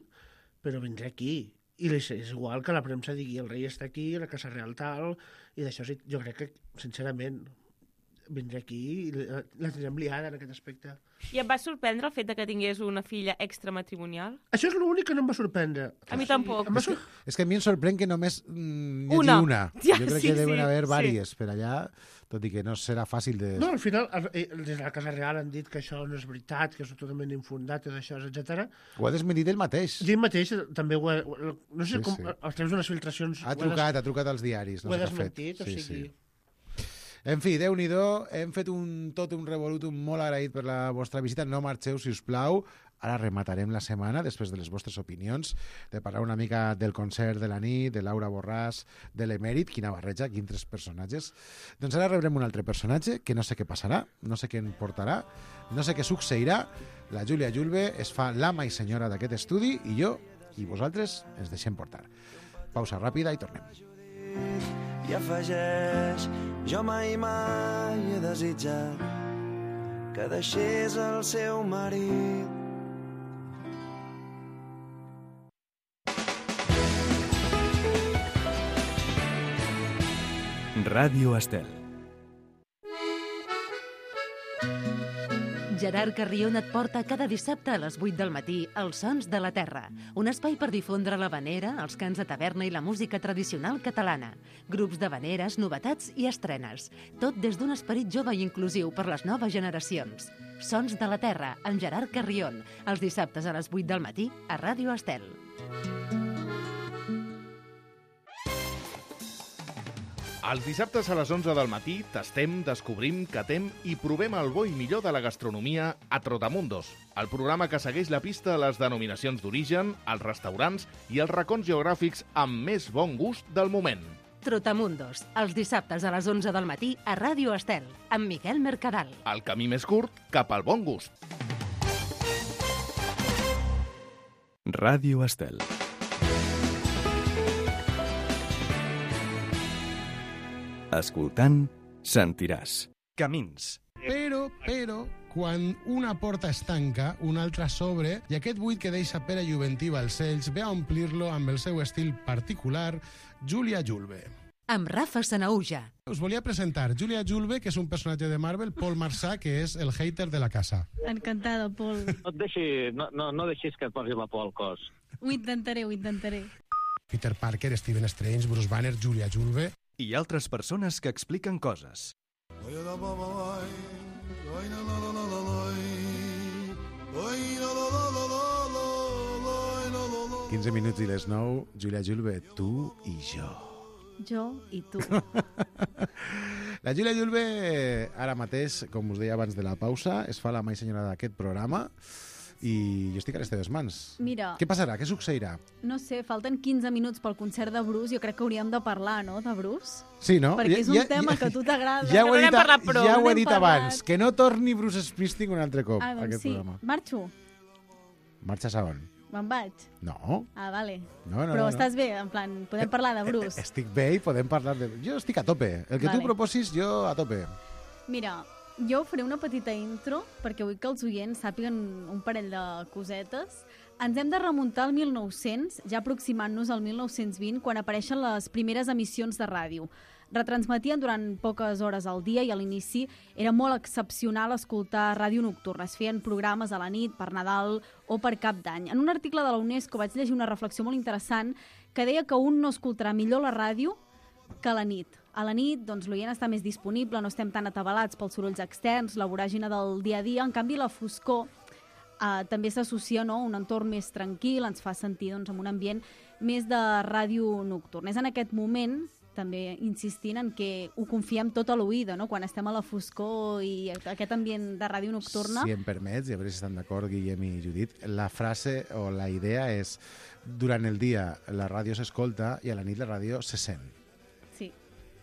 però vindrà aquí. I és igual que la premsa digui el rei està aquí, la Casa Real tal, i d'això jo crec que, sincerament, vindré aquí i la tindrem liada en aquest aspecte. I et va sorprendre el fet de que tingués una filla extramatrimonial? Això és l'únic que no em va sorprendre. A mi tampoc. És que a mi em sorprèn que només hi hagi una. Ja, jo crec que deuen haver vàries per allà, tot i que no serà fàcil de... No, al final, des de la Casa Real han dit que això no és veritat, que és totalment infundat, tot això, etc. Ho ha desmentit ell mateix. Ell mateix també ho ha... No sé com... A través d'unes filtracions... Ha trucat als diaris. Ho ha desmentit, o sigui... En fi, Déu-n'hi-do, hem fet tot un revolutum molt agraït per la vostra visita. No marxeu, si us plau. Ara rematarem la setmana, després de les vostres opinions, de parlar una mica del concert de la nit, de Laura Borràs, de l'Emèrit, quina barreja, quins tres personatges. Doncs ara rebrem un altre personatge, que no sé què passarà, no sé què en portarà, no sé què succeirà. La Júlia Julve es fa l'ama i senyora d'aquest estudi i jo i vosaltres ens deixem portar. Pausa ràpida i tornem. I afegeix, jo mai he desitjat que deixés el seu marit. Ràdio Estel. Gerard Carrion et porta cada dissabte a les 8 del matí Els Sons de la Terra, un espai per difondre l'havanera, els cants de taverna i la música tradicional catalana. Grups d'havaneres, novetats i estrenes. Tot des d'un esperit jove i inclusiu per les noves generacions. Sons de la Terra, amb Gerard Carrion, els dissabtes a les 8 del matí a Ràdio Estel. Els dissabtes a les 11 del matí tastem, descobrim, catem i provem el bo i millor de la gastronomia a Trotamundos, el programa que segueix la pista a les denominacions d'origen, als restaurants i als racons geogràfics amb més bon gust del moment. Trotamundos, els dissabtes a les 11 del matí a Ràdio Estel, amb Miquel Mercadal. El camí més curt cap al bon gust. Ràdio Estel. Escoltant, sentiràs. Camins. Però, quan una porta es tanca, una altra s'obre, i aquest buit que deixa Pere Juventí Balcells ve a omplir-lo amb el seu estil particular, Júlia Julve. Amb Rafa Sanauja. Us volia presentar Júlia Julve, que és un personatge de Marvel, Paul Marsà, que és el hater de la casa. Encantada, Paul. No deixis que et posi la por al cos. Ho intentaré. Peter Parker, Stephen Strange, Bruce Banner, Júlia Julve... I altres persones que expliquen coses. 15 minuts i les 9, Júlia Julve, tu i jo. Jo i tu. La Júlia Julve, ara mateix, com us deia abans de la pausa, es fa la mai senyora d'aquest programa i jo estic a les teves mans. Mira... Què passarà? Què succeirà? No sé, falten 15 minuts pel concert de Bruce. Jo crec que hauríem de parlar, no?, de Bruce. Sí, no? Perquè és un tema que a tu t'agrada. Ja ho he dit abans, que no torni Bruce Springsteen un altre cop a aquest programa. Marxo. Marxes a on? Me'n vaig. No. Ah, vale. No. Però estàs bé, en plan, podem parlar de Bruce. Estic bé i podem parlar de... Jo estic a tope. El que tu proposis, jo a tope. Mira, jo faré una petita intro perquè vull que els oients sàpiguen un parell de cosetes. Ens hem de remuntar al 1900, ja aproximant-nos al 1920, quan apareixen les primeres emissions de ràdio. Retransmetien durant poques hores al dia i a l'inici era molt excepcional escoltar ràdio nocturna. Es feien programes a la nit, per Nadal o per Cap d'Any. En un article de la UNESCO vaig llegir una reflexió molt interessant que deia que un no escoltarà millor la ràdio que a la nit. A la nit, doncs, l'oient està més disponible, no estem tan atabalats pels sorolls externs, la voràgina del dia a dia. En canvi, la foscor també s'associa, no?, a un entorn més tranquil, ens fa sentir, doncs, en un ambient més de ràdio nocturna. És en aquest moment, també insistint en que ho confiem tot a l'oïda, no?, quan estem a la foscor i aquest ambient de ràdio nocturna. Si em permets, i a veure si estan d'acord Guillem i Judit, la frase o la idea és durant el dia la ràdio s'escolta i a la nit la ràdio se sent.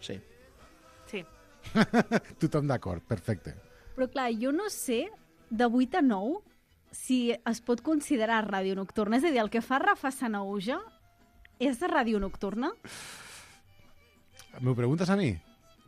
Sí. Tothom d'acord, perfecte. Però clar, jo no sé, de 8 a 9, si es pot considerar ràdio nocturna. És a dir, el que fa Rafa Sanauja és de ràdio nocturna? M'ho preguntes a mi?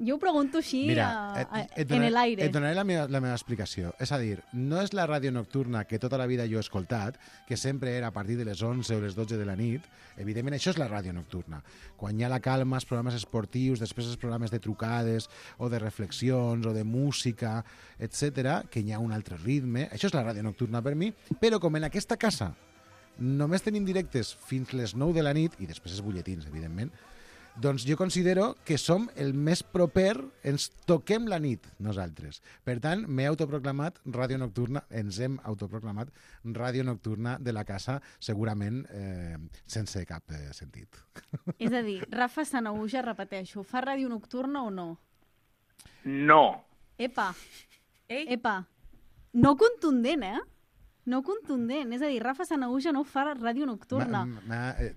Jo ho pregunto així en el aire. Et donaré la meva explicació. És a dir, no és la ràdio nocturna que tota la vida jo he escoltat, que sempre era a partir de les 11 o les 12 de la nit. Evidentment, això és la ràdio nocturna. Quan hi ha la calma, els programes esportius, després els programes de trucades o de reflexions o de música, etc, que hi ha un altre ritme. Això és la ràdio nocturna per mi, però com en aquesta casa només tenim directes fins les 9 de la nit, i després els butlletins, evidentment, doncs jo considero que som el més proper, ens toquem la nit nosaltres. Per tant, m'he autoproclamat ràdio nocturna, ens hem autoproclamat ràdio nocturna de la casa, segurament sense cap sentit. És a dir, Rafa Sanahuja, repeteixo, fa ràdio nocturna o no? No. Epa, no contundent, No contundent, és a dir, Rafa Sanahuja no fa ràdio nocturna.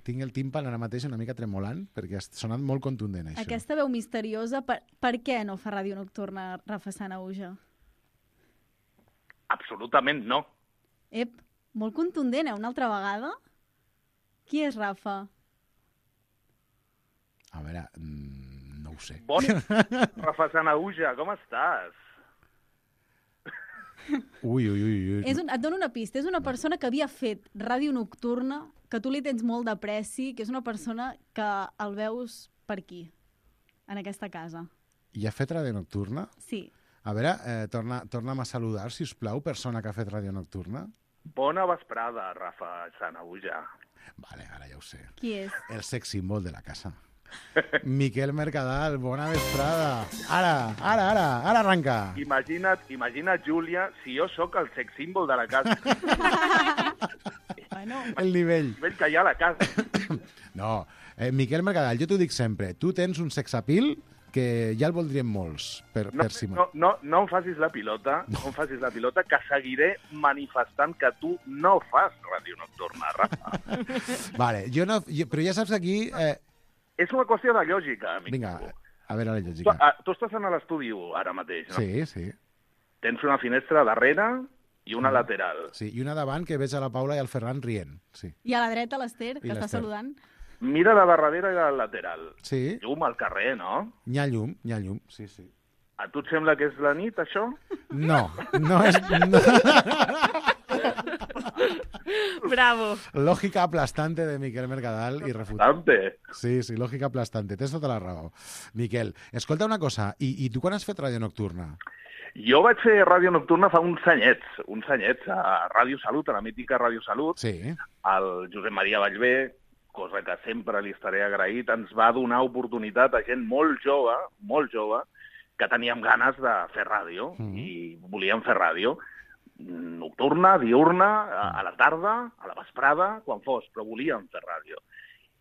Tinc el tímpan ara mateix una mica tremolant, perquè ha sonat molt contundent, això. Aquesta veu misteriosa, per què no fa ràdio nocturna Rafa Sanahuja? Absolutament no. Molt contundent, una altra vegada? Qui és Rafa? A veure, no ho sé. Bon, Rafa Sanahuja, com estàs? Ui. Et dono una pista. És una persona que havia fet ràdio nocturna, que tu li tens molt d'apreci, que és una persona que el veus per aquí, en aquesta casa. I ha fet ràdio nocturna? Sí. A veure, torna'm a saludar, si us plau, persona que ha fet ràdio nocturna. Bona vesprada, Rafa Sanahuja. Vale, ara ja ho sé. Qui és? El sex símbol de la casa. Miquel Mercadal, bona vesprada. Ara arranca. Imagina't, Júlia, si jo sóc el sex símbol de la casa. El nivell. El nivell que hi ha a la casa. No, Miquel Mercadal, jo t'ho dic sempre, tu tens un sex appeal que ja el voldrien molts per si... No em facis la pilota, que seguiré manifestant que tu no fas ràdio nocturna, Rafa. Vale, però ja saps aquí... És una qüestió de lògica, amic. Vinga, a veure la lògica. Tu estàs en l'estudi ara mateix, no? Sí. Tens una finestra darrere i una lateral. Sí, i una davant que veig a la Paula i al Ferran rient. Sí. I a la dreta l'Ester, que està saludant. Mira la de darrere i la lateral. Sí. Llum al carrer, no? Hi ha llum, sí. A tu et sembla que és la nit, això? No és... Bravo. Lògica aplastante de Miquel Mercadal i refutable. Sí, lògica aplastante. Tens tota la raó. Miquel, escolta una cosa, i tu quan has fet ràdio nocturna? Jo vaig fer ràdio nocturna fa uns anyets a Ràdio Salut, a la mítica Ràdio Salut. Sí. El Josep Maria Vallvé, cosa que sempre li estaré agraït, ens va donar oportunitat a gent molt jove, que teníem ganes de fer ràdio i volíem fer ràdio. Nocturna, diurna, a la tarda, a la vesprada, quan fos, però volíem fer ràdio.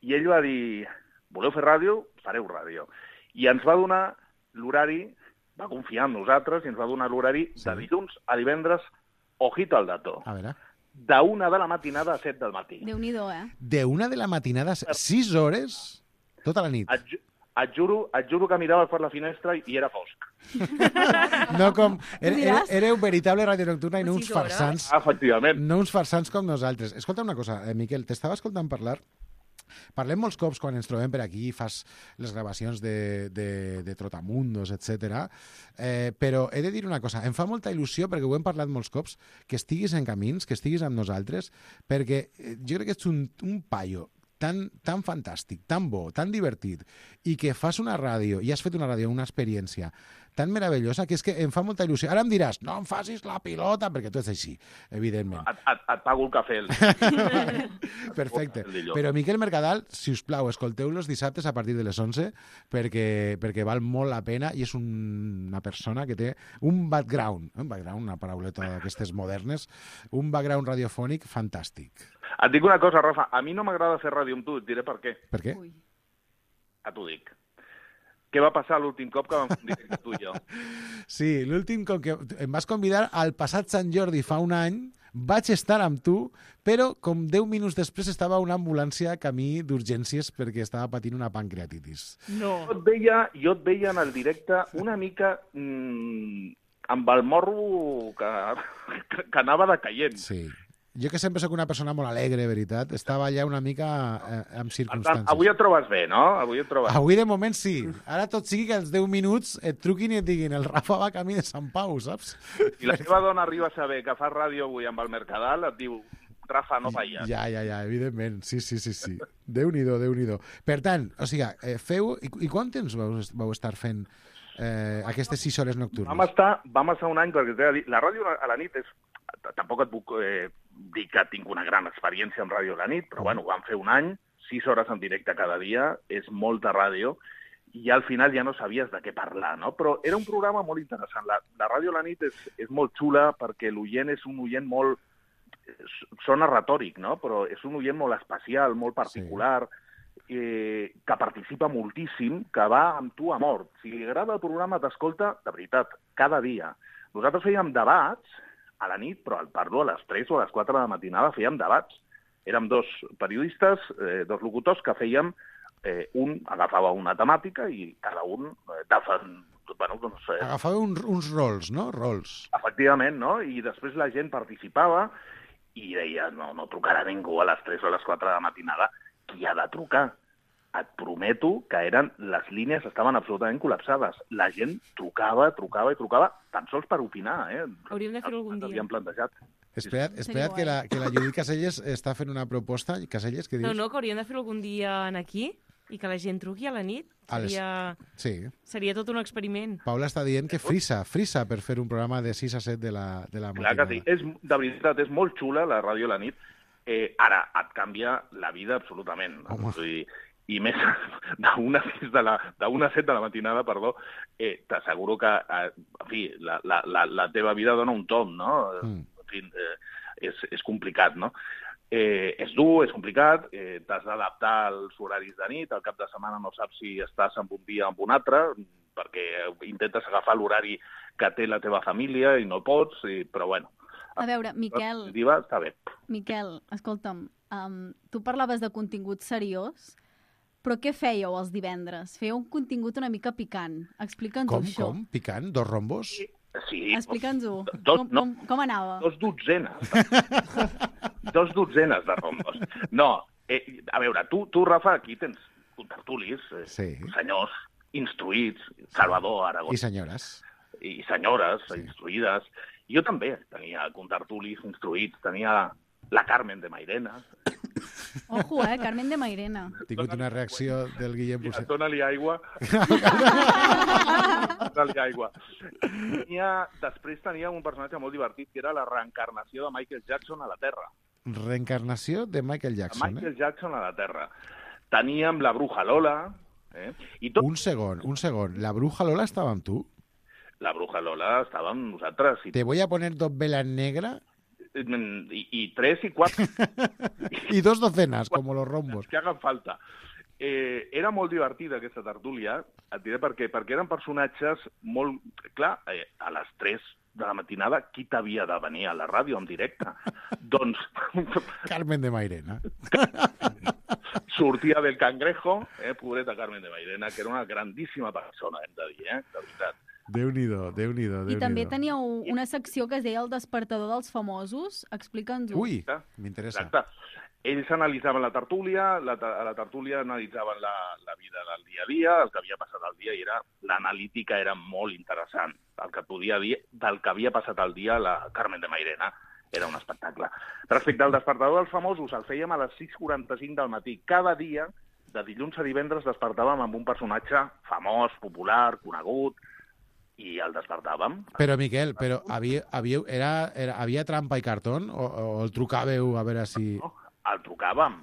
I ell va dir, voleu fer ràdio? Fareu ràdio. I ens va donar l'horari, va confiar en nosaltres, i ens va donar l'horari de dilluns a divendres, ojito al dato. A veure. De 1 de la matinada a 7 del matí. Déu-n'hi-do, De 1 de la matinada, 6 hores, tota la nit. Et juro que mirava per la finestra i era fosc. No com... Éreu veritable ràdio nocturna i no uns farsants. Efectivament. No uns farsants com nosaltres. Escolta una cosa, Miquel, t'estava escoltant parlar. Parlem molts cops quan ens trobem per aquí, fas les gravacions de Trotamundos, etc. Però he de dir una cosa, em fa molta il·lusió, perquè ho hem parlat molts cops, que estiguis en camins, que estiguis amb nosaltres, perquè jo crec que ets un paio tan fantàstic, tan bo, tan divertit, i que fas una ràdio, i has fet una ràdio, una experiència tan meravellosa, que és que em fa molta il·lusió. Ara em diràs, no em facis la pilota, perquè tu ets així, evidentment. Et pago el cafè. Perfecte. Però Miquel Mercadal, si us plau, escolteu-lo els dissabtes a partir de les 11, perquè val molt la pena, i és una persona que té un background, una parauleta d'aquestes modernes, un background radiofònic fantàstic. Et dic una cosa, Rafa, a mi no m'agrada fer ràdio amb tu, et diré per què. Per què? T'ho dic. Què va passar l'últim cop que vam fer un directe tu i jo? Sí, l'últim cop que em vas convidar al passat Sant Jordi fa un any, vaig estar amb tu, però com 10 minuts després estava una ambulància camí d'urgències perquè estava patint una pancreatitis. No. Jo et veia en el directe una mica amb el morro que anava decaient. Sí. Jo que sempre sóc una persona molt alegre, veritat, estava allà una mica amb circumstàncies. Avui et trobes bé, no? Avui de moment sí. Ara tot sigui que als 10 minuts et truquin i et diguin el Rafa va camí de Sant Pau, saps? I la teva dona arriba a saber que fas ràdio avui amb el Mercadal, et diu, Rafa, no falles. Ja, evidentment. Sí. Déu-n'hi-do, Déu-n'hi-do. Per tant, o sigui, feu... I quant temps vau estar fent aquestes 6 hores nocturnes? Vam estar un any, perquè la ràdio a la nit és... Tampoc et puc dir que tinc una gran experiència amb ràdio a la nit, però bueno, vam fer un any, 6 hores en directe cada dia, és molta ràdio, i al final ja no sabies de què parlar, no? Però era un programa molt interessant. La ràdio a la nit és molt xula perquè l'oient és un oient molt... Sona retòric, no? Però és un oient molt especial, molt particular, que participa moltíssim, que va amb tu a mort. Si li agrada el programa, t'escolta, de veritat, cada dia. Nosaltres fèiem debats a la nit, però parlo a les 3 o a les 4 de la matinada, fèiem debats. Érem 2 periodistes, 2 locutors, que fèiem... un agafava una temàtica i cada un... Agafava uns rols, no? Rols. Efectivament, no? I després la gent participava i deia, no trucarà ningú a les 3 o a les 4 de la matinada. Qui ha de trucar? Et prometo que les línies estaven absolutament col·lapsades. La gent trucava tan sols per opinar. Hauríem de fer-ho algun dia. Havíem plantejat. Espera't que la Judit Caselles està fent una proposta. Caselles, què dius? No, que hauríem de fer-ho algun dia aquí i que la gent truqui a la nit. Seria tot un experiment. Paula està dient que frisa per fer un programa de 6 a 7 de la matinada. Clar que sí. De veritat, és molt xula la ràdio a la nit. Ara, et canvia la vida absolutament. I més d'una a 7 de la matinada, t'asseguro que en fi, la teva vida dona un tom, no? En fi, és complicat, no? És dur, és complicat, t'has d'adaptar als horaris de nit, al cap de setmana no saps si estàs en un dia o en un altre, perquè intentes agafar l'horari que té la teva família i no pots, però bueno. A veure, Miquel... Està bé. Miquel, escolta'm, tu parlaves de contingut seriós, però què fèieu els divendres? Fèieu un contingut una mica picant. Explica'ns això. Com? Picant? 2 rombos? Sí. Explica'ns-ho. Com anava? 2 dotzenes. 2 dotzenes de rombos. No, a veure, tu, Rafa, aquí tens contertulis, senyors instruïts, Salvador, Aragó. I senyores. I senyores instruïdes. Jo també tenia contertulis instruïts, tenia la Carmen de Mairena. Ojo, Carmen de Mairena. Ha tingut una reacció del Guillem Busset. Dóna-li aigua. Dóna-li aigua. Després tenia un personatge molt divertit, que era la reencarnació de Michael Jackson a la Terra. Reencarnació de Michael Jackson, Michael Jackson a la Terra. Teníem la Bruja Lola. Un segon. La Bruja Lola estava amb tu? La Bruja Lola estava amb nosaltres. Te voy a poner 2 velas negras... Y 3 y 4. Y 2 docenas, com los rombos. Que hagan falta. Era molt divertida aquesta tertúlia, et diré per què. Perquè eren personatges molt... Clar, a les 3 de la matinada, qui t'havia de venir a la ràdio en directe? Doncs... Carmen de Mairena. Sortia del Cangrejo, pobreta Carmen de Mairena, que era una grandíssima persona, hem de dir, de veritat. Déu-n'hi-do. I també teníeu una secció que es deia El despertador dels famosos. Explica'ns-ho. Ui, m'interessa. Exacte. Ells analitzaven la tertúlia, a la tertúlia analitzaven la vida del dia a dia, el que havia passat al dia, i l'analítica era molt interessant. El que podia dir del que havia passat al dia la Carmen de Mairena era un espectacle. Respecte al despertador dels famosos, el fèiem a les 6:45 del matí. Cada dia, de dilluns a divendres, despertàvem amb un personatge famós, popular, conegut, i el despertàvem. Però, Miquel, havia trampa i cartó o el trucàveu a veure si... No, el trucàvem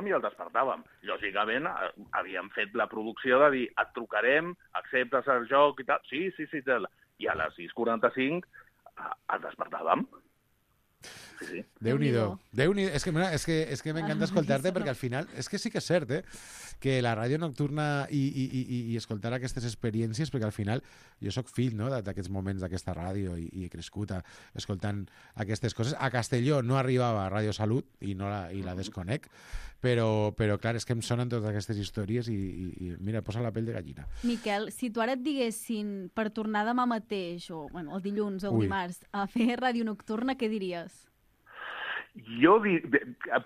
i el despertàvem. Lògicament, havíem fet la producció de dir, et trucarem, acceptes el joc i tal. Sí, i a les 6:45 el despertàvem. Sí. Déu-n'hi-do. És que m'encanta escoltar-te perquè al final, és que sí que és cert, que la ràdio nocturna i escoltar aquestes experiències, perquè al final jo sóc fill, no?, d'aquests moments d'aquesta ràdio i he crescut escoltant aquestes coses. A Castelló no arribava a Ràdio Salut i la desconec, però clar, és que em sonen totes aquestes històries i mira, posa la pell de gallina. Miquel, si tu ara et diguessin per tornar demà mateix, o el dilluns o el dimarts, a fer ràdio nocturna, què diries? Jo,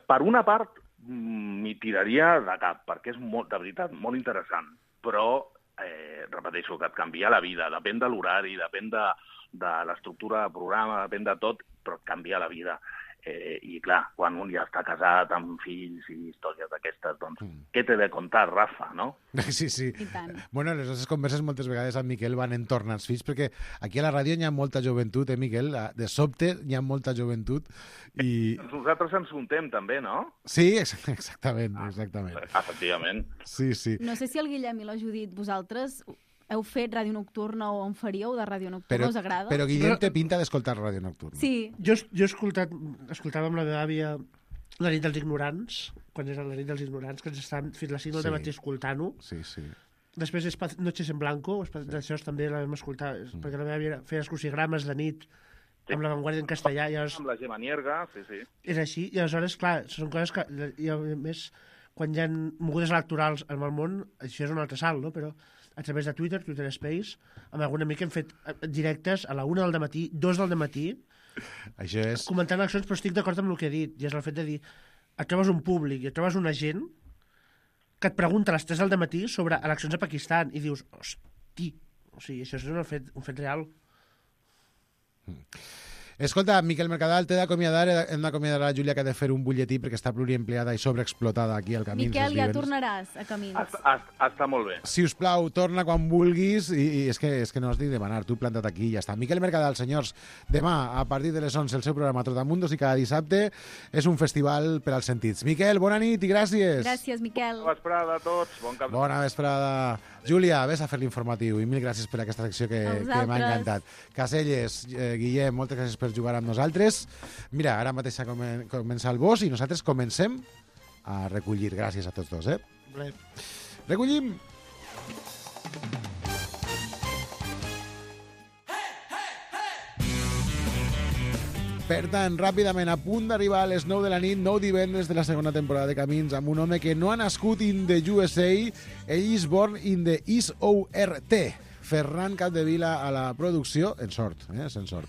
per una part, m'hi tiraria de cap, perquè és, de veritat, molt interessant. Però, repeteixo, que et canvia la vida. Depèn de l'horari, depèn de l'estructura de programa, depèn de tot, però et canvia la vida. I clar, quan un ja està casat amb fills i històries d'aquestes, doncs, què t'he de contar, Rafa, no? Sí, sí. I tant. Bueno, les nostres converses moltes vegades amb Miquel van entorn als fills, perquè aquí a la ràdio hi ha molta joventut, Miquel? De sobte hi ha molta joventut i... Nosaltres ens juntem també, no? Sí, exactament. Efectivament. Sí, sí. No sé si el Guillem i la Judit, vosaltres heu fet ràdio nocturna o en faríeu de ràdio nocturna, us agrada? Però Guillem té pinta d'escoltar ràdio nocturna. Sí. Jo escoltava amb la meva àvia La nit dels ignorants, quan era la nit dels ignorants, que ens estaven fins les 5 del matí escoltant-ho. Sí, sí. Després Noches en Blanco, d'això també la vam escoltar, perquè la meva àvia feia els crucigrames de nit amb La Vanguardia en castellà. Amb la Gemma Nierga, sí. És així, i aleshores, clar, són coses que... I a més, quan hi ha mogudes electorals en el món, això és un altre salt, no? Però a través de Twitter Space, amb algun amic hem fet directes a la 1 del matí, 2 del matí, això és... comentant eleccions, però estic d'acord amb el que he dit, i és el fet de dir, et trobes un públic i et trobes una gent que et pregunta a les 3 del matí sobre eleccions a Pakistan, i dius, hosti, o sigui, això és un fet real. Escolta, Miquel Mercadal, t'he d'acomiadar, hem d'acomiadar a la Júlia, que ha de fer un butlletí perquè està pluriempleada i sobreexplotada aquí al Camins. Miquel, ja tornaràs a Camins. Està molt bé. Si us plau, torna quan vulguis, i és que no has de demanar, tu planta't aquí i ja està. Miquel Mercadal, senyors, demà, a partir de les 11, el seu programa Trotamundos, i cada dissabte és un festival per als sentits. Miquel, bona nit i gràcies. Gràcies, Miquel. Bona vesprada a tots. Bona vesprada. Júlia, vés a fer l'informatiu i mil gràcies per aquesta secció que m'ha encantat. Caselles, Guillem, moltes gràcies per jugar amb nosaltres. Mira, ara mateix comença el boss i nosaltres comencem a recollir. Gràcies a tots dos, Recollim! Per tant, ràpidament, a punt d'arribar a les 9 de la nit, 9 divendres de la segona temporada de Camins, amb un home que no ha nascut in the USA, ell is born in the SORT. Ferran Capdevila a la producció, en sort, en sort.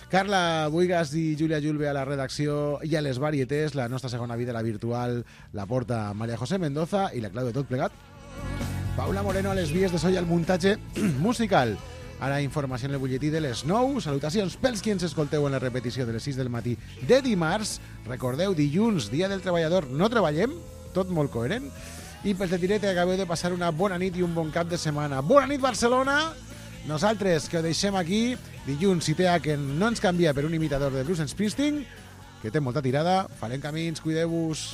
Carla Buigas i Júlia Julve a la redacció i a les varietés, la nostra segona vida, la virtual, la porta Maria José Mendoza i la clau de tot plegat. Paula Moreno a les vies de so i al muntatge musical. Ara informació en el butlletí de les 9. Salutacions pels qui ens escolteu en la repetició de les 6 del matí de dimarts. Recordeu, dilluns, dia del treballador, no treballem, tot molt coherent. I pels de Tireta acabeu de passar una bona nit i un bon cap de setmana. Bona nit, Barcelona! Nosaltres, que ho deixem aquí, dilluns, si té que no ens canvia per un imitador de Bruce Springsteen, que té molta tirada, farem camins, cuideu-vos.